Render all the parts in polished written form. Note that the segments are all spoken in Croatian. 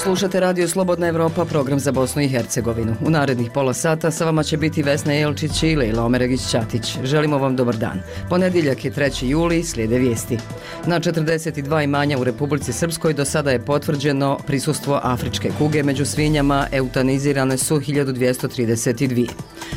Slušate Radio Slobodna Evropa, program za Bosnu i Hercegovinu. U narednih pola sata sa vama će biti Vesna Jelčić i Lejla Omeregić-Ćatić. Želimo vam dobar dan. Ponedjeljak je 3. juli, slijede vijesti. Na 42 imanja u Republici Srpskoj do sada je potvrđeno prisustvo afričke kuge među svinjama, eutanizirane su 1232.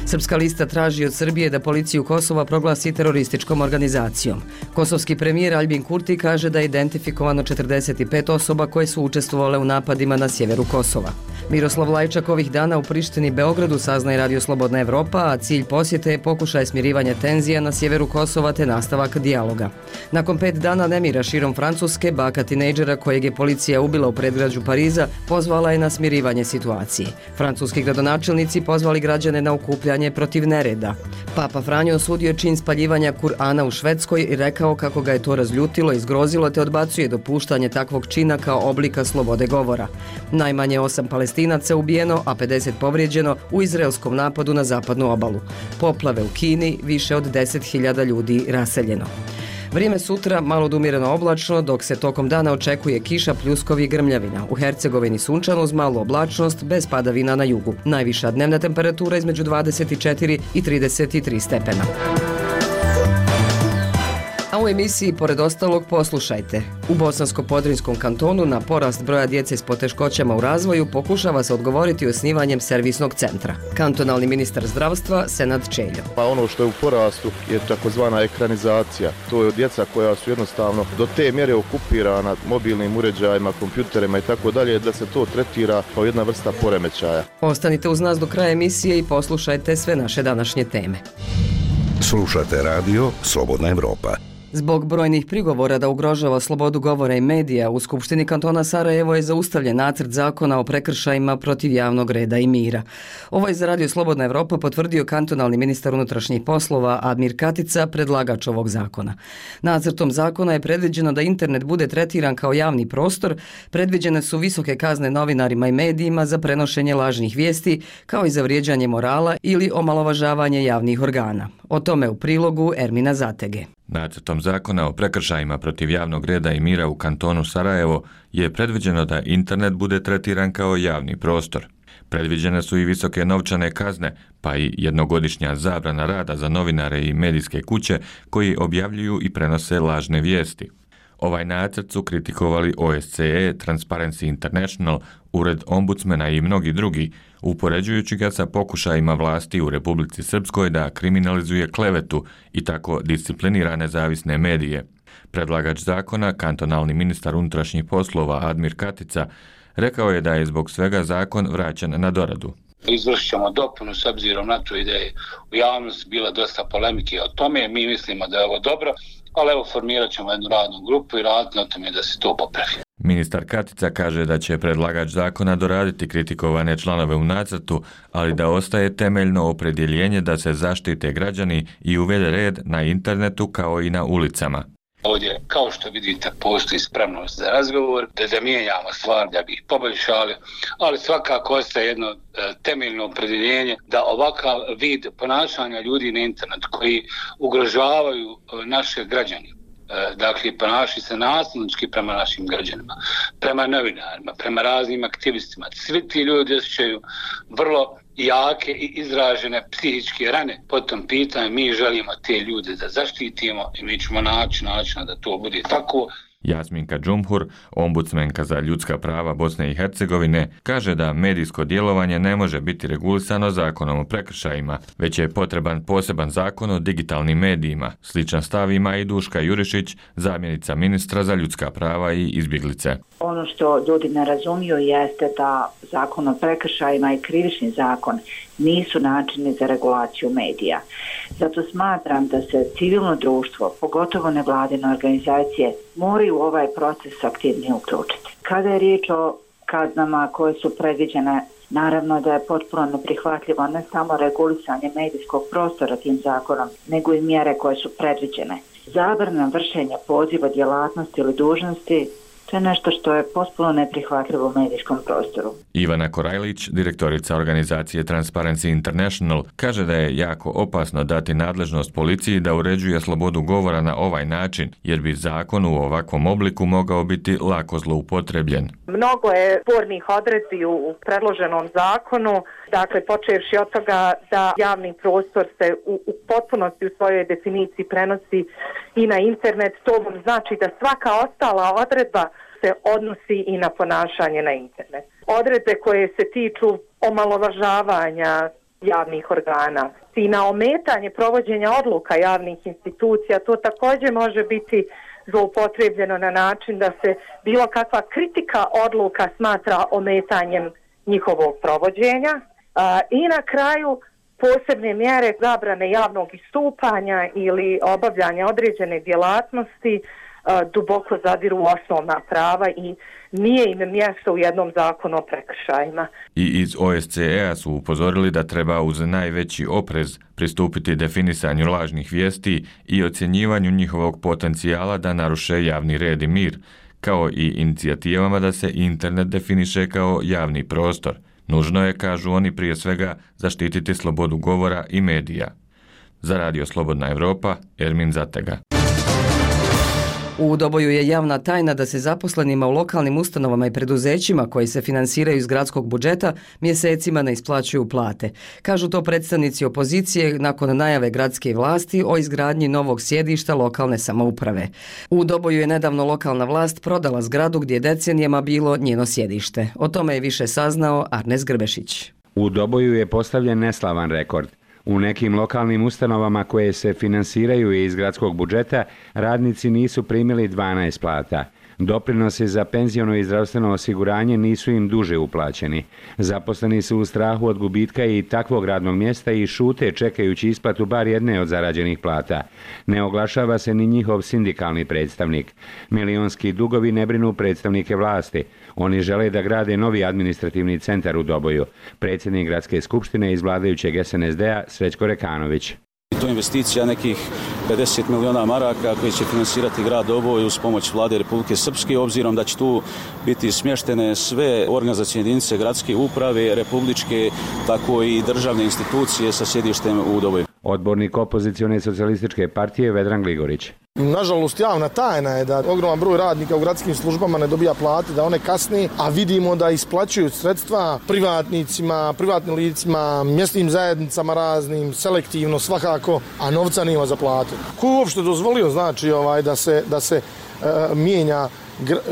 Srpska lista traži od Srbije da policiju Kosova proglasi terorističkom organizacijom. Kosovski premijer Aljbin Kurti kaže da je identifikovano 45 osoba koje su učestvovale u napadima na sjeveru Kosova. Miroslav Lajčak ovih dana u Prištini i Beogradu, saznaje Radio Slobodna Evropa, a cilj posjete je pokušaj smirivanja tenzija na sjeveru Kosova te nastavak dijaloga. Nakon 5 dana nemira širom Francuske, baka tinejdžera kojeg je policija ubila u predgrađu Pariza pozvala je na smirivanje situacije. Francuski gradonačelnici pozvali građane na okupljanje protiv nereda. Papa Franjo osudio čin spaljivanja Kur'ana u Švedskoj i rekao kako ga je to razljutilo i zgrozilo te odbacuje dopuštanje takvog čina kao oblika slobode govora. Najmanje 8 Palestinaca ubijeno, a 50 povrijeđeno u izraelskom napadu na zapadnu obalu. Poplave u Kini, više od 10.000 ljudi raseljeno. Vrijeme sutra malo odumjereno oblačno, dok se tokom dana očekuje kiša, pljuskovi i grmljavina. U Hercegovini sunčano uz malu oblačnost, bez padavina na jugu. Najviša dnevna temperatura između 24 i 33 stepena. A u emisiji, pored ostalog, poslušajte. U Bosansko-Podrinjskom kantonu na porast broja djece s poteškoćama u razvoju pokušava se odgovoriti osnivanjem servisnog centra. Kantonalni ministar zdravstva Senad Čeljo. Pa ono što je u porastu je takozvana ekranizacija. To je djeca koja su jednostavno do te mjere okupirana mobilnim uređajima, kompjuterima i tako dalje, da se to tretira kao jedna vrsta poremećaja. Ostanite uz nas do kraja emisije i poslušajte sve naše današnje teme. Slušate Radio Slobodna Evropa. Zbog brojnih prigovora da ugrožava slobodu govora i medija, u Skupštini kantona Sarajevo je zaustavljen nacrt zakona o prekršajima protiv javnog reda i mira. Ovo je za Radio Slobodna Evropa potvrdio kantonalni ministar unutrašnjih poslova Admir Katica, predlagač ovog zakona. Nacrtom zakona je predviđeno da internet bude tretiran kao javni prostor, predviđene su visoke kazne novinarima i medijima za prenošenje lažnih vijesti, kao i za vrijeđanje morala ili omalovažavanje javnih organa. O tome u prilogu Ermina Zatege. Nacrtom zakona o prekršajima protiv javnog reda i mira u kantonu Sarajevo je predviđeno da internet bude tretiran kao javni prostor. Predviđene su i visoke novčane kazne, pa i jednogodišnja zabrana rada za novinare i medijske kuće koji objavljuju i prenose lažne vijesti. Ovaj nacrt su kritikovali OSCE, Transparency International, Ured ombudsmena i mnogi drugi, upoređujući ga sa pokušajima vlasti u Republici Srpskoj da kriminalizuje klevetu i tako disciplinira nezavisne medije. Predlagač zakona, kantonalni ministar unutrašnjih poslova Admir Katica, rekao je da je zbog svega zakon vraćen na doradu. Izvršit ćemo dopunu s obzirom na to da je u javnosti bila dosta polemike o tome. Mi mislimo da je ovo dobro, ali evo formirat ćemo jednu radnu grupu i raditi na tome da se to popravi. Ministar Katica kaže da će predlagač zakona doraditi kritikovane članove u nacrtu, ali da ostaje temeljno opredjeljenje da se zaštite građani i uvede red na internetu kao i na ulicama. Ovdje, kao što vidite, postoji spremnost za razgovor, da mijenjamo stvar, da bi ih poboljšali, ali svakako ostaje jedno temeljno opredjeljenje da ovakav vid ponašanja ljudi na internetu koji ugrožavaju naše građane, dakle ponašaju se nasilnički prema našim građanima, prema novinarima, prema raznim aktivistima. Svi ti ljudi osjećaju vrlo jake i izražene psihičke rane po tom pitanju. Mi želimo te ljude da zaštitimo i mi ćemo naći načina da to bude tako. Jasminka Džumhur, ombudsmenka za ljudska prava Bosne i Hercegovine, kaže da medijsko djelovanje ne može biti regulisano zakonom o prekršajima, već je potreban poseban zakon o digitalnim medijima. Sličan stav ima i Duška Jurišić, zamjenica ministra za ljudska prava i izbjeglice. Ono što ljudi ne razumiju jeste da zakon o prekršajima i krivični zakon nisu načini za regulaciju medija. Zato smatram da se civilno društvo, pogotovo nevladine organizacije, moraju u ovaj proces aktivnije uključiti. Kada je riječ o kaznama koje su predviđene, naravno da je potpuno neprihvatljivo ne samo regulisanje medijskog prostora tim zakonom, nego i mjere koje su predviđene. Zabrana vršenja poziva djelatnosti ili dužnosti To je nešto što je potpuno neprihvatljivo u medijskom prostoru. Ivana Korajlić, direktorica organizacije Transparency International, kaže da je jako opasno dati nadležnost policiji da uređuje slobodu govora na ovaj način, jer bi zakon u ovakvom obliku mogao biti lako zloupotrebljen. Mnogo je spornih odredbi u predloženom zakonu, dakle počevši od toga da javni prostor se u potpunosti u svojoj definiciji prenosi i na internet. To vam znači da svaka ostala odredba se odnosi i na ponašanje na internet. Odredbe koje se tiču omalovažavanja javnih organa i na ometanje provođenja odluka javnih institucija, to također može biti zloupotrebljeno na način da se bilo kakva kritika odluka smatra ometanjem njihovog provođenja. I na kraju posebne mjere zabrane javnog istupanja ili obavljanja određene djelatnosti duboko zadiru u osnovna prava i nije im mjesto u jednom zakonu o prekršajima. I iz OSCE-a su upozorili da treba uz najveći oprez pristupiti definisanju lažnih vijesti i ocjenjivanju njihovog potencijala da naruše javni red i mir, kao i inicijativama da se internet definiše kao javni prostor. Nužno je, kažu oni, prije svega zaštititi slobodu govora i medija. Za Radio Slobodna Evropa, Ermin Zatega. U Doboju je javna tajna da se zaposlenima u lokalnim ustanovama i preduzećima koji se finansiraju iz gradskog budžeta mjesecima ne isplaćuju plate. Kažu to predstavnici opozicije nakon najave gradske vlasti o izgradnji novog sjedišta lokalne samouprave. U Doboju je nedavno lokalna vlast prodala zgradu gdje je decenijama bilo njeno sjedište. O tome je više saznao Arnes Grbešić. U Doboju je postavljen neslavan rekord. U nekim lokalnim ustanovama koje se finansiraju iz gradskog budžeta, radnici nisu primili 12 plata. Doprinosi za penziono i zdravstveno osiguranje nisu im duže uplaćeni. Zaposleni su u strahu od gubitka i takvog radnog mjesta i šute čekajući isplatu bar jedne od zarađenih plata. Ne oglašava se ni njihov sindikalni predstavnik. Milionski dugovi ne brinu predstavnike vlasti. Oni žele da grade novi administrativni centar u Doboju. Predsjednik gradske skupštine iz vladajućeg SNSD-a Srećko Rekanović. To je investicija nekih 50 miliona maraka koji će finansirati grad Doboj uz pomoć vlade Republike Srpske, obzirom da će tu biti smještene sve organizacijne jedinice gradske uprave, republičke, tako i državne institucije sa sjedištem u Doboju. Odbornik opozicione socijalističke partije Vedran Gligorić. Nažalost, javna tajna je da ogroman broj radnika u gradskim službama ne dobija plate, da one kasne, a vidimo da isplaćuju sredstva privatnicima, privatnim licima, mjesnim zajednicama raznim, selektivno svakako, a novca nema za plate. Ko je uopšte dozvolio, znači, da se mijenja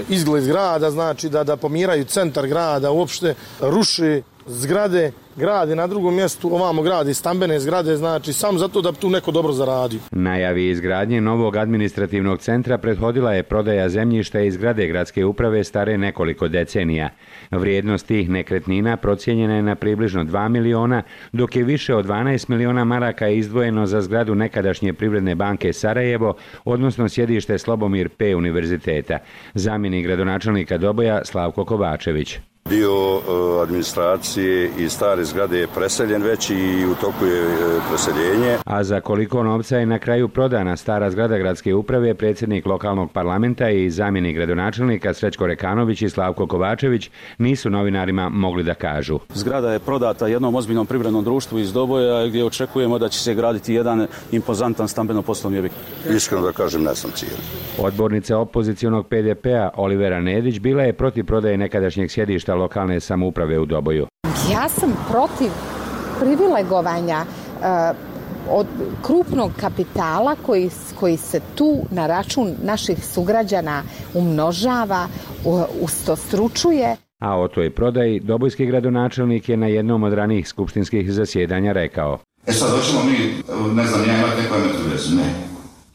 izgled grada, znači da pomjeraju centar grada, uopšte ruše zgrade, grade na drugom mjestu, ovamo grade stambene zgrade, znači samo zato da tu neko dobro zaradio. Najavi izgradnje novog administrativnog centra prethodila je prodaja zemljišta iz zgrade gradske uprave stare nekoliko decenija. Vrijednost tih nekretnina procijenjena je na približno 2 miliona, dok je više od 12 miliona maraka izdvojeno za zgradu nekadašnje Privredne banke Sarajevo, odnosno sjedište Slobomir P. univerziteta. Zamjenik gradonačelnika Doboja Slavko Kovačević. Dio administracije i stare zgrade je preseljen već i u toku je preseljenje. A za koliko novca je na kraju prodana stara zgrada gradske uprave, predsjednik lokalnog parlamenta i zamjenik gradonačelnika Srećko Rekanović i Slavko Kovačević nisu novinarima mogli da kažu. Zgrada je prodata jednom ozbiljnom privrednom društvu iz Doboja gdje očekujemo da će se graditi jedan impozantan stambeno-poslovni objekt. Iskreno da kažem, ne sam cijeli. Odbornica opozicionog PDP-a Olivera Nedić bila je protiv prodaje nekadašnjeg sjedišta lokalne samouprave u Doboju. Ja sam protiv privilegovanja od krupnog kapitala koji se tu na račun naših sugrađana umnožava, ustostručuje. A o toj prodaji dobojski gradonačelnik je na jednom od ranijih skupštinskih zasjedanja rekao. Sad hoćemo mi, ne znam, ja imati neku emetrovezu, ne.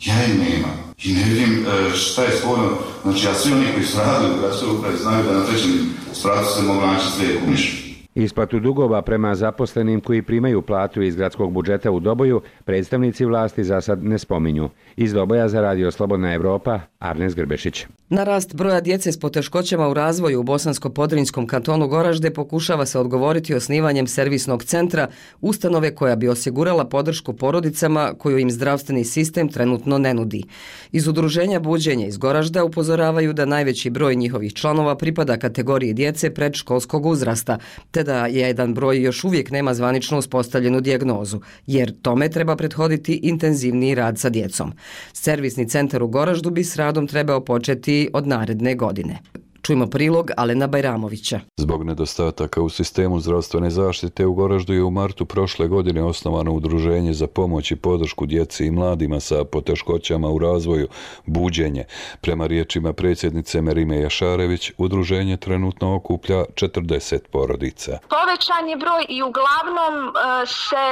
Ja je nema. I ne vidim šta je sporno. Znači, a svi oni koji su radili u gradskoj upravi znaju da na trećem spratu se mogu naći sve kumiš. Isplatu dugova prema zaposlenim koji primaju platu iz gradskog budžeta u Doboju predstavnici vlasti za sad ne spominju. Iz Doboja za Radio Slobodna Evropa, Arnes Grbešić. Na rast broja djece s poteškoćama u razvoju u Bosansko-Podrinjskom kantonu Goražde pokušava se odgovoriti osnivanjem servisnog centra, ustanove koja bi osigurala podršku porodicama koju im zdravstveni sistem trenutno ne nudi. Iz udruženja Buđenje iz Goražda upozoravaju da najveći broj njihovih članova pripada kategoriji djece predškolskog uzrasta, te da jedan broj još uvijek nema zvanično uspostavljenu dijagnozu, jer tome treba prethoditi intenzivniji rad sa djecom. Servisni centar u Goraždu bi s radom trebao početi od naredne godine. Čujmo prilog Alena Bajramovića. Zbog nedostataka u sistemu zdravstvene zaštite u Goraždu je u martu prošle godine osnovano udruženje za pomoć i podršku djeci i mladima sa poteškoćama u razvoju Buđenje. Prema riječima predsjednice Merime Jašarević, udruženje trenutno okuplja 40 porodica. Povećan je broj i uglavnom se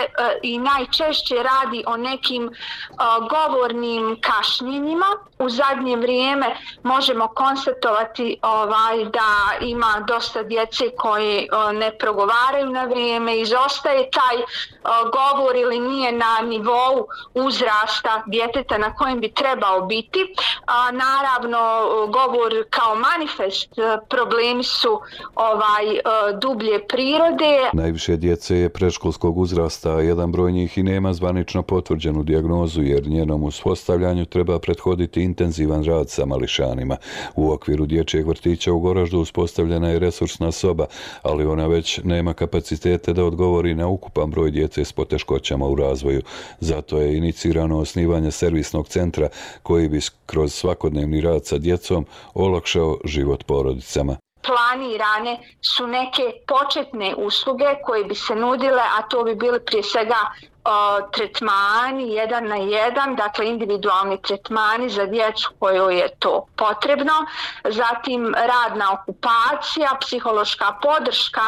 i najčešće radi o nekim govornim kašnjenjima. U zadnje vrijeme možemo konstatovati da ima dosta djece koje ne progovaraju na vrijeme, izostaje taj govor ili nije na nivou uzrasta djeteta na kojem bi trebao biti. Naravno, govor kao manifest problemi su dublje prirode. Najviše djece je predškolskog uzrasta, a jedan broj njih i nema zvanično potvrđenu dijagnozu, jer njenom uspostavljanju treba prethoditi intenzivan rad sa mališanima. U okviru dječjeg vrtića u Goraždu uspostavljena je resursna soba, ali ona već nema kapacitete da odgovori na ukupan broj djece s poteškoćama u razvoju. Zato je inicirano osnivanje servisnog centra koji bi kroz svakodnevni rad sa djecom olakšao život porodicama. Planirane su neke početne usluge koje bi se nudile, a to bi bili prije svega tretmani 1 na 1, dakle individualni tretmani za djecu kojoj je to potrebno, zatim radna okupacija, psihološka podrška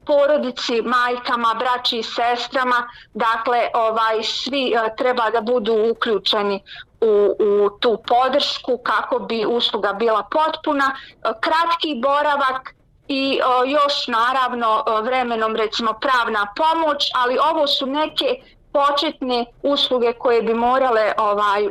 porodici, majkama, braći i sestrama, dakle svi treba da budu uključeni u tu podršku kako bi usluga bila potpuna, kratki boravak i još naravno vremenom recimo pravna pomoć, ali ovo su neke početne usluge koje bi morale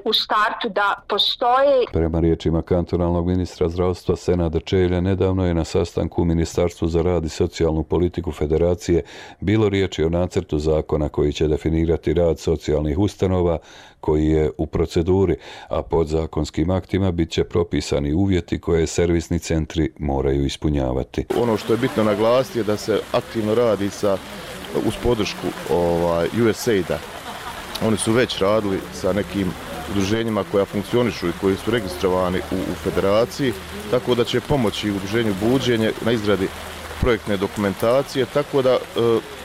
u startu da postoje. Prema riječima kantonalnog ministra zdravstva Senada Čelja, nedavno je na sastanku u Ministarstvu za rad i socijalnu politiku Federacije bilo riječi o nacrtu zakona koji će definirati rad socijalnih ustanova koji je u proceduri, a podzakonskim aktima bit će propisani uvjeti koje servisni centri moraju ispunjavati. Ono što je bitno naglasiti je da se aktivno radi uz podršku USAID-a. Oni su već radili sa nekim udruženjima koja funkcionišu i koji su registrovani u federaciji, tako da će pomoći udruženju Buđenje na izradi projektne dokumentacije, tako da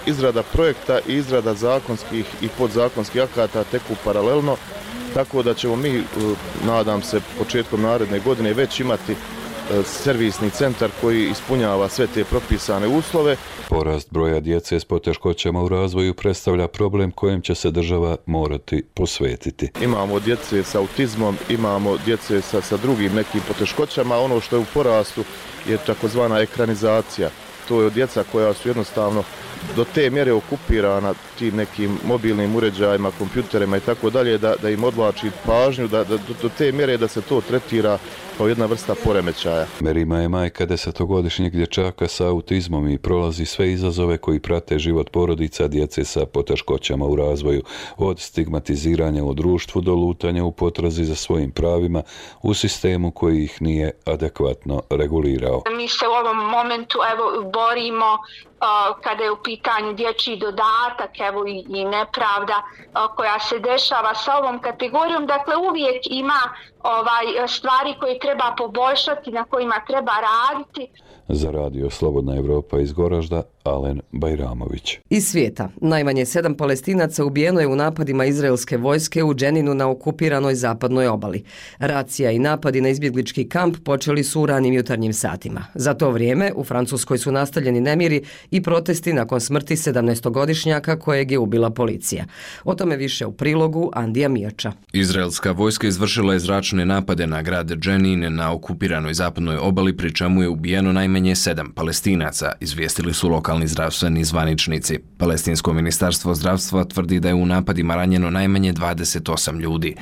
izrada projekta i izrada zakonskih i podzakonskih akata teku paralelno, tako da ćemo mi, nadam se, početkom naredne godine već imati servisni centar koji ispunjava sve te propisane uslove. Porast broja djece s poteškoćama u razvoju predstavlja problem kojem će se država morati posvetiti. Imamo djece sa autizmom, imamo djece sa drugim nekim poteškoćama, ono što je u porastu je takozvana ekranizacija. To je djeca koja su jednostavno do te mjere okupirana tim nekim mobilnim uređajima, kompjuterima i tako dalje, da im odvlači pažnju, do te mjere da se to tretira kao jedna vrsta poremećaja. Merima je majka 10-godišnjeg dječaka sa autizmom i prolazi sve izazove koji prate život porodica djece sa poteškoćama u razvoju, od stigmatiziranja u društvu do lutanja u potrazi za svojim pravima u sistemu koji ih nije adekvatno regulirao. Mi se u ovom momentu borimo kada je u pitanju dječji dodatak, i nepravda koja se dešava sa ovom kategorijom. Dakle, uvijek ima stvari koje treba poboljšati, na kojima treba raditi. Za Radio Slobodna Evropa iz Goražda, Alen Bajramović. Iz svijeta. Najmanje 7 Palestinaca ubijeno je u napadima izraelske vojske u Dženinu na okupiranoj zapadnoj obali. Racija i napadi na izbjeglički kamp počeli su u ranim jutarnjim satima. Za to vrijeme u Francuskoj su nastavljeni nemiri i protesti nakon smrti 17-godišnjaka kojeg je ubila policija. O tome više u prilogu Andija Mijača. Izraelska vojska izvršila je zračne pojedinačne napade na grad Dženin na okupiranoj zapadnoj obali, pri čemu je ubijeno najmanje 7 Palestinaca, izvijestili su lokalni zdravstveni zvaničnici. Palestinsko ministarstvo zdravstva tvrdi da je u napadima ranjeno najmanje 28 ljudi.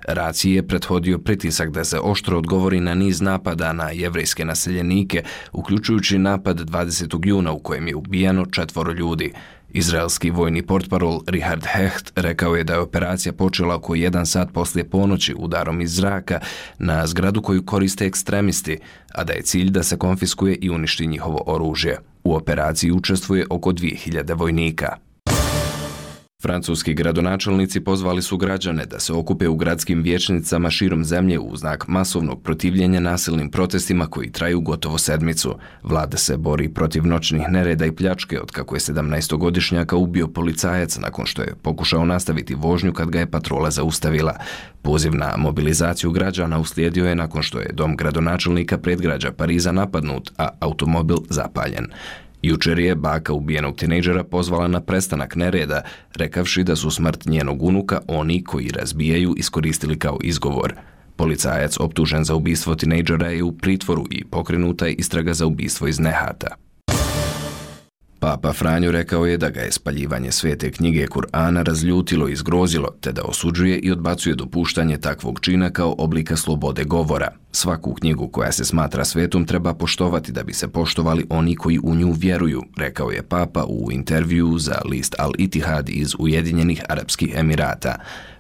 Raciji je prethodio pritisak da se oštro odgovori na niz napada na jevrejske naseljenike, uključujući napad 20. juna u kojem je ubijano 4 ljudi. Izraelski vojni portparol Richard Hecht rekao je da je operacija počela oko 1 sat poslije ponoći udarom iz zraka na zgradu koju koriste ekstremisti, a da je cilj da se konfiskuje i uništi njihovo oružje. U operaciji učestvuje oko 2000 vojnika. Francuski gradonačelnici pozvali su građane da se okupe u gradskim vijećnicama širom zemlje u znak masovnog protivljenja nasilnim protestima koji traju gotovo sedmicu. Vlada se bori protiv noćnih nereda i pljačke otkako je 17-godišnjaka ubio policajac nakon što je pokušao nastaviti vožnju kad ga je patrola zaustavila. Poziv na mobilizaciju građana uslijedio je nakon što je dom gradonačelnika predgrađa Pariza napadnut, a automobil zapaljen. Jučer je baka ubijenog tinejdžera pozvala na prestanak nereda, rekavši da su smrt njenog unuka oni koji razbijaju iskoristili kao izgovor. Policajac optužen za ubistvo tinejdžera je u pritvoru i pokrenuta je istraga za ubistvo iz nehata. Papa Franjo rekao je da ga je spaljivanje svete knjige Kur'ana razljutilo i zgrozilo, te da osuđuje i odbacuje dopuštanje takvog čina kao oblika slobode govora. Svaku knjigu koja se smatra svetom treba poštovati da bi se poštovali oni koji u nju vjeruju, rekao je Papa u intervjuu za list Al Itihad iz Ujedinjenih Arapskih Emirata.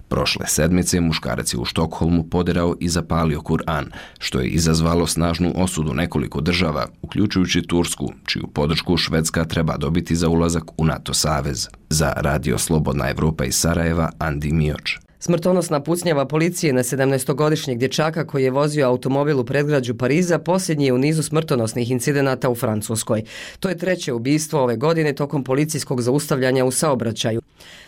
Prošle sedmice muškarac je u Štokholmu poderao i zapalio Kur'an, što je izazvalo snažnu osudu nekoliko država, uključujući Tursku, čiju podršku Švedska treba dobiti za ulazak u NATO savez. Za Radio Slobodna Evropa iz Sarajeva, Andi Mioč. Smrtonosna pucnjava policije na 17-godišnjeg dječaka koji je vozio automobil u predgrađu Pariza posljednji je u nizu smrtonosnih incidenata u Francuskoj. To je 3. ubistvo ove godine tokom policijskog zaustavljanja u saobraćaju,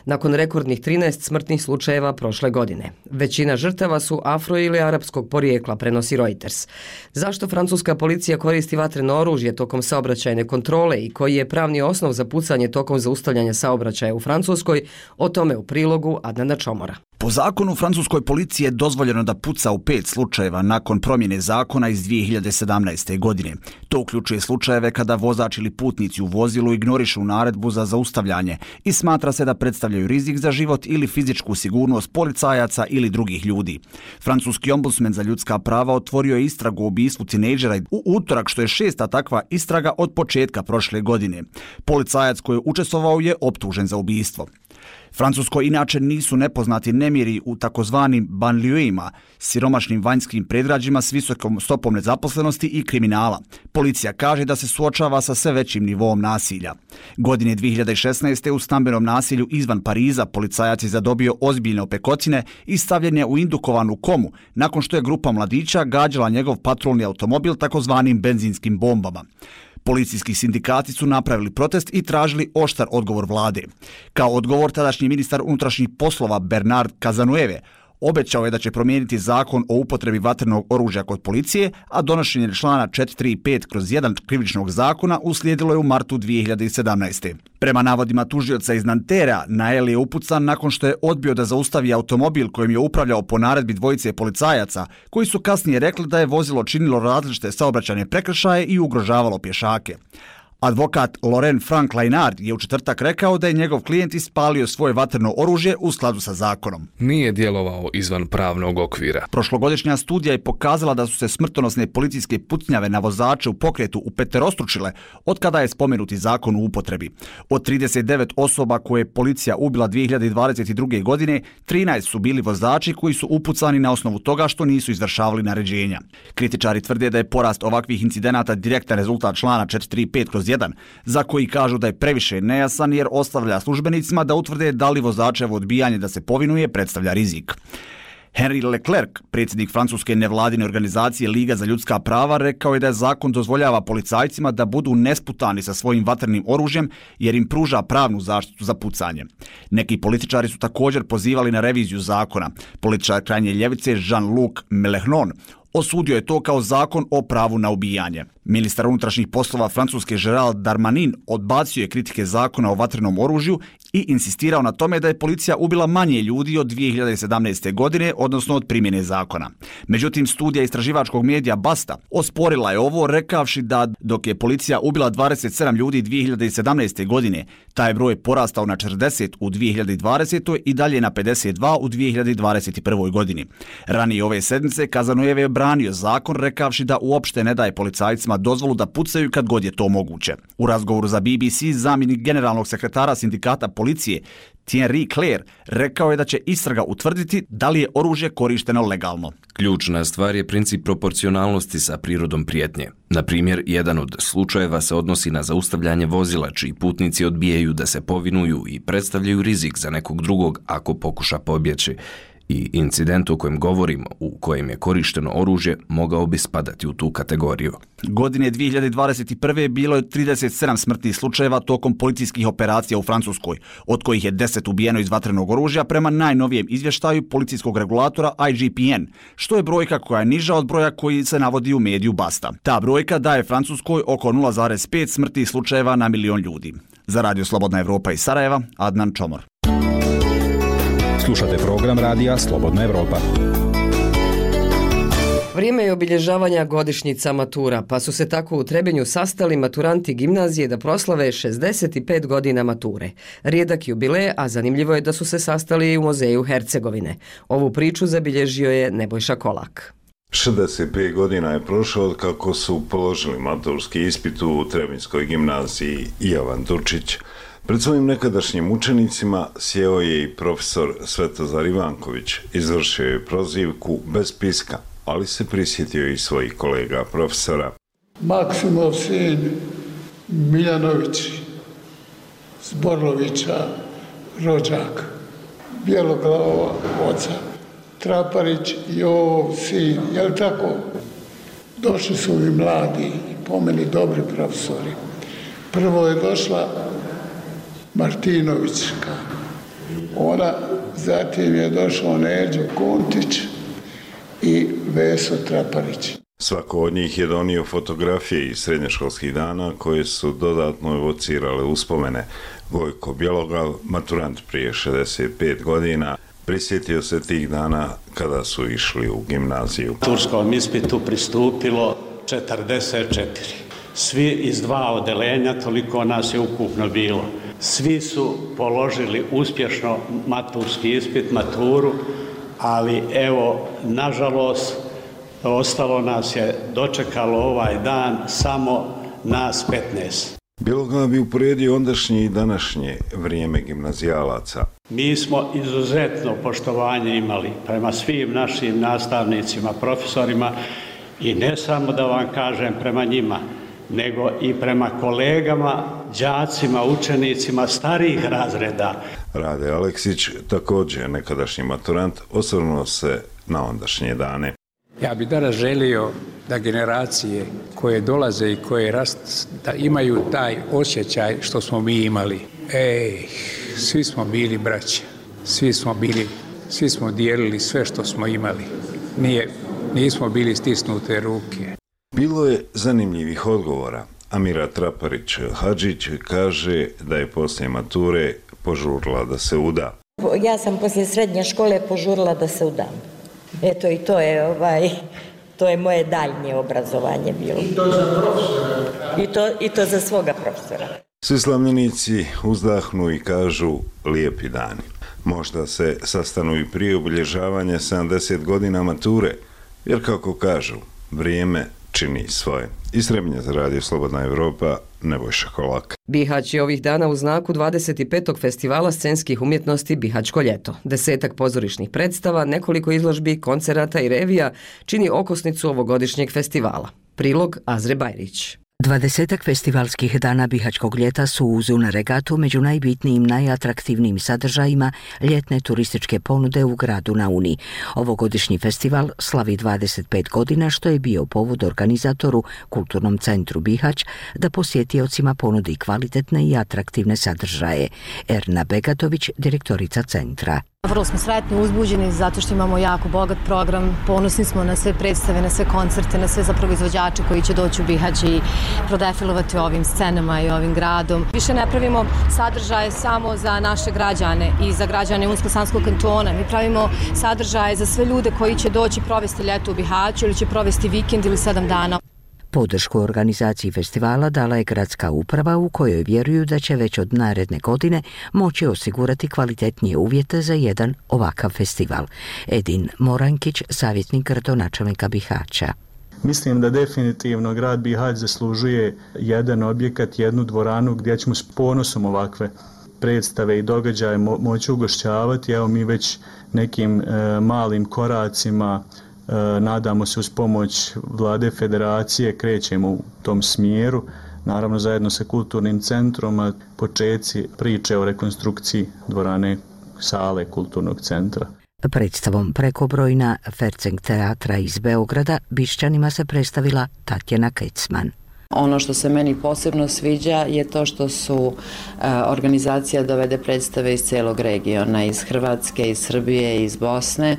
nakon rekordnih 13 smrtnih slučajeva prošle godine. Većina žrtava su afro ili arapskog porijekla, prenosi Reuters. Zašto francuska policija koristi vatreno oružje tokom saobraćajne kontrole i koji je pravni osnov za pucanje tokom zaustavljanja saobraćaja u Francuskoj, o tome u prilogu Adnana Čomora. Po zakonu francuskoj policiji je dozvoljeno da puca u 5 slučajeva nakon promjene zakona iz 2017. godine. To uključuje slučajeve kada vozač ili putnici u vozilu ignorišu naredbu za zaustavljanje i smatra se da predstavljaju rizik za život ili fizičku sigurnost policajaca ili drugih ljudi. Francuski ombudsman za ljudska prava otvorio je istragu o ubistvu tinejdžera u utorak, što je 6. takva istraga od početka prošle godine. Policajac koji je učestvovao je optužen za ubistvo. Francuskoj inače nisu nepoznati nemiri u takozvanim banlieuima, siromašnim vanjskim predgrađima s visokom stopom nezaposlenosti i kriminala. Policija kaže da se suočava sa sve većim nivoom nasilja. Godine 2016. u stambenom nasilju izvan Pariza policajac je zadobio ozbiljne opekotine i stavljen je u indukovanu komu nakon što je grupa mladića gađala njegov patrolni automobil takozvanim benzinskim bombama. Policijski sindikati su napravili protest i tražili oštar odgovor vlade. Kao odgovor, tadašnji ministar unutrašnjih poslova Bernard Cazeneuve obećao je da će promijeniti zakon o upotrebi vatrenog oružja kod policije, a donošenje člana 435/1 krivičnog zakona uslijedilo je u martu 2017. Prema navodima tužioca iz Nantera, Nael je upucan nakon što je odbio da zaustavi automobil kojim je upravljao po naredbi dvojice policajaca, koji su kasnije rekli da je vozilo činilo različite saobraćajne prekršaje i ugrožavalo pješake. Advokat Laurent Frank Lainard je u četvrtak rekao da je njegov klijent ispalio svoje vatreno oružje u skladu sa zakonom. Nije djelovao izvan pravnog okvira. Prošlogodišnja studija je pokazala da su se smrtonosne policijske pucnjave na vozače u pokretu upeterostručile od kada je spomenuti zakon u upotrebi. Od 39 osoba koje je policija ubila 2022. godine, 13 su bili vozači koji su upucani na osnovu toga što nisu izvršavali naređenja. Kritičari tvrde da je porast ovakvih incidenata direktan rezultat člana 435/1, za koji kažu da je previše nejasan jer ostavlja službenicima da utvrde da li vozačevo odbijanje da se povinuje predstavlja rizik. Henri Leclerc, predsjednik francuske nevladine organizacije Liga za ljudska prava, rekao je da je zakon dozvoljava policajcima da budu nesputani sa svojim vatrenim oružjem jer im pruža pravnu zaštitu za pucanje. Neki političari su također pozivali na reviziju zakona. Političar krajnje ljevice Jean-Luc Mélenchon osudio je to kao zakon o pravu na ubijanje. Ministar unutrašnjih poslova Francuske Gérald Darmanin odbacio je kritike zakona o vatrenom oružju i insistirao na tome da je policija ubila manje ljudi od 2017. godine, odnosno od primjene zakona. Međutim, studija istraživačkog medija Basta osporila je ovo, rekavši da dok je policija ubila 27 ljudi 2017. godine, taj broj porastao na 40 u 2020. i dalje na 52 u 2021. godini. Ranije ove sedmice Kazanojev je branio zakon, rekavši da uopšte ne daje policajcima dozvolu da pucaju kad god je to moguće. U razgovoru za BBC zamjenik generalnog sekretara sindikata policije Thierry Claire rekao je da će istraga utvrditi da li je oružje korišteno legalno. Ključna stvar je princip proporcionalnosti sa prirodom prijetnje. Na primjer, jedan od slučajeva se odnosi na zaustavljanje vozila čiji putnici odbijaju da se povinuju i predstavljaju rizik za nekog drugog ako pokuša pobjeći. I incident o kojem govorimo, u kojem je korišteno oružje, mogao bi spadati u tu kategoriju. Godine 2021. bilo je 37 smrtnih slučajeva tokom policijskih operacija u Francuskoj, od kojih je 10 ubijeno iz vatrenog oružja prema najnovijem izvještaju policijskog regulatora IGPN, što je brojka koja je niža od broja koji se navodi u mediju Basta. Ta brojka daje Francuskoj oko 0,5 smrtnih slučajeva na milion ljudi. Za Radio Slobodna Evropa iz Sarajeva, Adnan Čomor. Slušate program radija Slobodna Evropa. Vrijeme je obilježavanja godišnjica matura, pa su se tako u Trebinju sastali maturanti gimnazije da proslave 65 godina mature. Rijedak jubilej, a zanimljivo je da su se sastali i u muzeju Hercegovine. Ovu priču zabilježio je Nebojša Kolak. 65 godina je prošlo od kako su položili maturski ispit u Trebinjskoj gimnaziji Jovan Turčić. Pred svojim nekadašnjim učenicima sjeo je i profesor Svetozar Ivanković. Izvršio je prozivku bez piska, ali se prisjetio i svojih kolega profesora. Maksimov sin Miljanović, Zborlovića, rođak, Bjeloglava oca, Traparić i ov sin, je li tako? Došli su i mladi, po meni dobri profesori. Prvo je došla Martinovićka. Ona, zatim je došao Neđo Kontić i Veso Traparić. Svako od njih je donio fotografije iz srednjoškolskih dana koje su dodatno evocirale uspomene. Gojko Bjeloglav, maturant prije 65 godina, prisjetio se tih dana kada su išli u gimnaziju. Turskom ispitu pristupilo 44. Svi iz 2 odeljenja, toliko nas je ukupno bilo. Svi su položili uspješno maturski ispit, maturu, ali evo, nažalost, ostalo nas je, dočekalo ovaj dan samo nas 15. Bjeloglav bi uporedio ondašnje i današnje vrijeme gimnazijalaca. Mi smo izuzetno poštovanje imali prema svim našim nastavnicima, profesorima i ne samo da vam kažem prema njima, nego i prema kolegama, đacima, učenicima starijih razreda. Rade Aleksić, također nekadašnji maturant, osvrnuo se na ondašnje dane. Ja bih danas želio da generacije koje dolaze i koje da imaju taj osjećaj što smo mi imali. Svi smo bili braća, svi smo dijelili sve što smo imali. Nismo bili stisnute ruke. Bilo je zanimljivih odgovora. Amira Traparić-Hadžić kaže da je poslije mature požurila da se uda. Ja sam poslije srednje škole požurila da se udam. Eto i to je moje daljnje obrazovanje bilo. I to za profesora? I to za svoga profesora. Svi slavljenici uzdahnu i kažu lijepi dani. Možda se sastanu i prije obilježavanja 70 godina mature, jer kako kažu, vrijeme čini svoje. Iz Trebinja za Radio Slobodna Evropa, Nebojša Kolak. Bihać je ovih dana u znaku 25. festivala scenskih umjetnosti Bihaćko ljeto. 10 pozorišnih predstava, nekoliko izložbi, koncerata i revija čini okosnicu ovogodišnjeg festivala. Prilog Azre Bajrić. 20 festivalskih dana Bihaćkog ljeta su uz regatu među najbitnijim, najatraktivnijim sadržajima ljetne turističke ponude u gradu na Uni. Ovogodišnji festival slavi 25 godina, što je bio povod organizatoru Kulturnom centru Bihać da posjetiocima ponudi kvalitetne i atraktivne sadržaje. Erna Begatović, direktorica centra. Vrlo smo sretni, uzbuđeni zato što imamo jako bogat program, ponosni smo na sve predstave, na sve koncerte, na sve zapravo izvođače koji će doći u Bihać i prodefilovati ovim scenama i ovim gradom. Više ne pravimo sadržaje samo za naše građane i za građane Unsko-Sanskog kantona. Mi pravimo sadržaje za sve ljude koji će doći provesti ljeto u Bihaću ili će provesti vikend ili 7 dana. Podršku organizaciji festivala dala je gradska uprava u kojoj vjeruju da će već od naredne godine moći osigurati kvalitetnije uvjete za jedan ovakav festival. Edin Morankić, savjetnik gradonačelnika Bihaća. Mislim da definitivno grad Bihać zaslužuje jedan objekat, jednu dvoranu gdje ćemo s ponosom ovakve predstave i događaje moći ugošćavati. Evo mi već nekim malim koracima, nadamo se uz pomoć Vlade Federacije, krećemo u tom smjeru, naravno zajedno sa kulturnim centrom, a počeci priče o rekonstrukciji dvorane sale kulturnog centra. Predstavom Prekobrojna Ferceng teatra iz Beograda Bišćanima se predstavila Tatjana Kecman. Ono što se meni posebno sviđa je to što su organizacija dovede predstave iz cijelog regiona, iz Hrvatske, iz Srbije, iz Bosne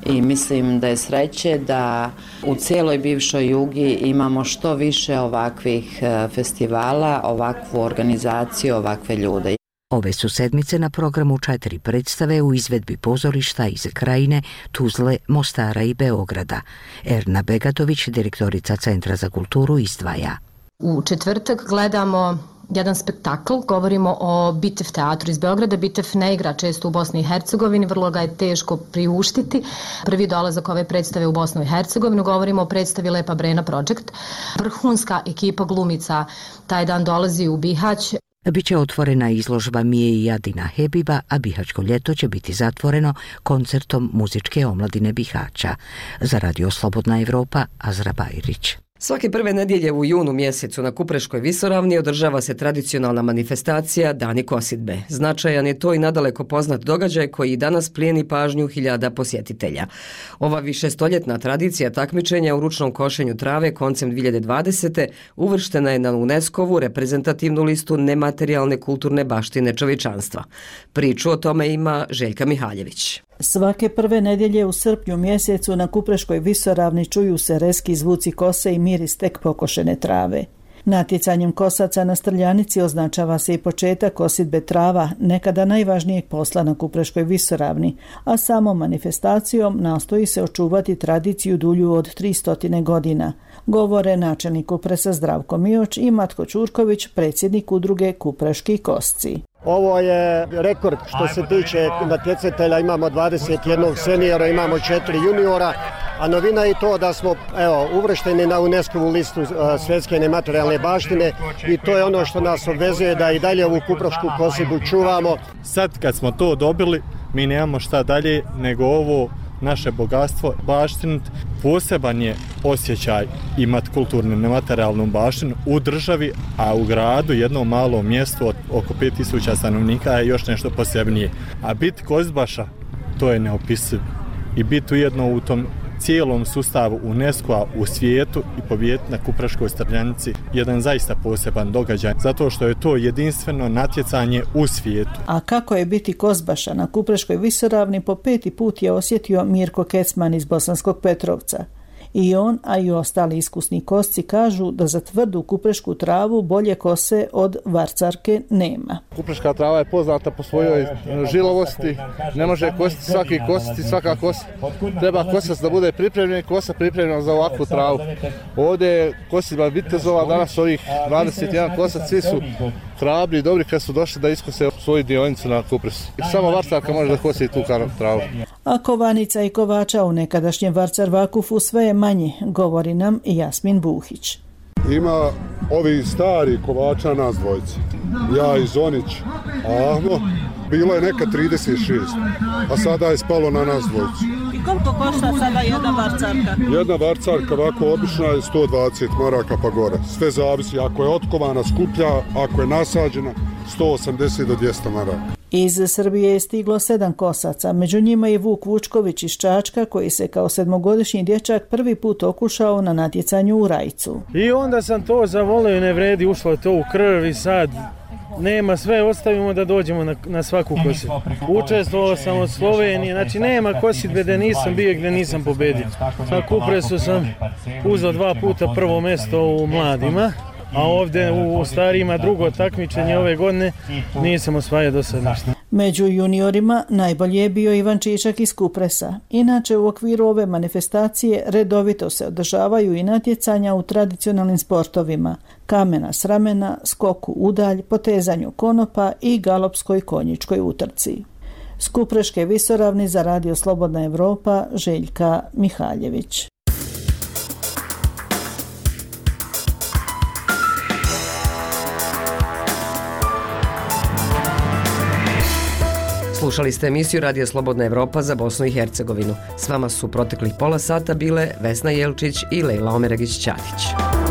i mislim da je sreće da u cijeloj bivšoj Jugi imamo što više ovakvih festivala, ovakvu organizaciju, ovakve ljude. Ove su sedmice na programu 4 predstave u izvedbi pozorišta iz Krajine, Tuzle, Mostara i Beograda. Erna Begatović, direktorica Centra za kulturu, izdvaja. U četvrtak gledamo jedan spektakl, govorimo o Bitev teatru iz Beograda. Bitev ne igra često u Bosni i Hercegovini, vrlo ga je teško priuštiti. Prvi dolazak ove predstave u Bosnu i Hercegovinu, govorimo o predstavi Lepa Brena Project. Vrhunska ekipa glumica taj dan dolazi u Bihać. Biće otvorena izložba Mije i Adina Hebiba, a Bihaćko ljeto će biti zatvoreno koncertom muzičke omladine Bihaća. Za Radio Slobodna Evropa, Azra Bajrić. Svake prve nedjelje u junu mjesecu na Kupreškoj visoravni održava se tradicionalna manifestacija Dani kosidbe. Značajan je to i nadaleko poznat događaj koji i danas plijeni pažnju hiljada posjetitelja. Ova višestoljetna tradicija takmičenja u ručnom košenju trave koncem 2020. uvrštena je na UNESCO-vu reprezentativnu listu nematerijalne kulturne baštine čovječanstva. Priču o tome ima Željka Mihaljević. Svake prve nedjelje u srpnju mjesecu na Kupreškoj visoravni čuju se rezki zvuci kose i miris tek pokošene trave. Natjecanjem kosaca na Strljanici označava se i početak kosidbe trava, nekada najvažnijeg posla na Kupreškoj visoravni, a samom manifestacijom nastoji se očuvati tradiciju dulju od 300 godina. Govore načelnik Kupresa Zdravko Mioć i Matko Ćurković, predsjednik udruge Kupreški kosci. Ovo je rekord što se tiče natjecatelja, imamo 21 seniora, imamo 4 juniora, a novina je to da smo uvršteni na UNESCO-vu listu svjetske nematerijalne baštine i to je ono što nas obvezuje da i dalje ovu kuprašku kosidbu čuvamo. Sad kad smo to dobili, mi nemamo šta dalje nego ovo naše bogatstvo baštiniti. Poseban je osjećaj imati kulturnu nematerijalnu baštinu u državi, a u gradu, jednom malom mjestu od oko 5000 stanovnika je još nešto posebnije. A biti kosidbaša, to je neopisiv. I biti ujedno u tom cijelom sustavu UNESCO-a u svijetu i pobijediti na Kupreškoj Strljanici jedan zaista poseban događaj, zato što je to jedinstveno natjecanje u svijetu. A kako je biti kosidbaša na Kupreškoj visoravni po 5. put je osjetio Mirko Kecman iz Bosanskog Petrovca. I on, a i ostali iskusni kosci kažu da za tvrdu kuprešku travu bolje kose od varcarke nema. Kupreška trava je poznata po svojoj žilovosti, ne može kositi svaki kositi, svaka kosa. Treba kosac da bude pripremljen, kosa pripremljena za ovakvu travu. Ovdje je kosidba vitezova, danas ovih 21 kosac, svi su hrabri i dobri kad su došli da iskose svoju dionicu na Kupresu. Samo varcarka može da kosi tu travu. A kovanica i kovača u nekadašnjem Varcar Vakufu sve je manje, govori nam Jasmin Buhić. Ima ovi stari kovača nas dvojice. Ja i Zonić, Ahmo, bilo je neka 36, a sada je spalo na nas dvojicu. I koliko košta sada jedna varcarka? Jedna varcarka ovako obična je 120 maraka pa gore. Sve zavisi, ako je otkovana skuplja, ako je nasađena 180 do 200 maraka. Iz Srbije je stiglo 7 kosaca, među njima je Vuk Vučković iz Čačka koji se kao 7-godišnji dječak prvi put okušao na natjecanju u Rajcu. I onda sam to zavolio, ne vredi, ušlo to u krv i sad nema, sve ostavimo da dođemo na svaku kosit. Učestvovao sam od Slovenije, znači nema kositbe gdje nisam bio, gdje nisam pobedio. Na Kupresu sam uzeo 2 puta prvo mjesto u mladima, a ovdje u starijima drugo takmičenje ove godine nisam osvajao do sad ništa. Među juniorima najbolji je bio Ivan Čičak iz Kupresa. Inače, u okviru ove manifestacije redovito se održavaju i natjecanja u tradicionalnim sportovima: kamena s ramena, skoku udalj, potezanju konopa i galopskoj konjičkoj utrci. S Kupreške visoravni za Radio Slobodna Evropa, Željka Mihaljević. Slušali ste emisiju Radija Slobodna Evropa za Bosnu i Hercegovinu. S vama su proteklih pola sata bile Vesna Jelčić i Lejla Omeragić-Ćatić.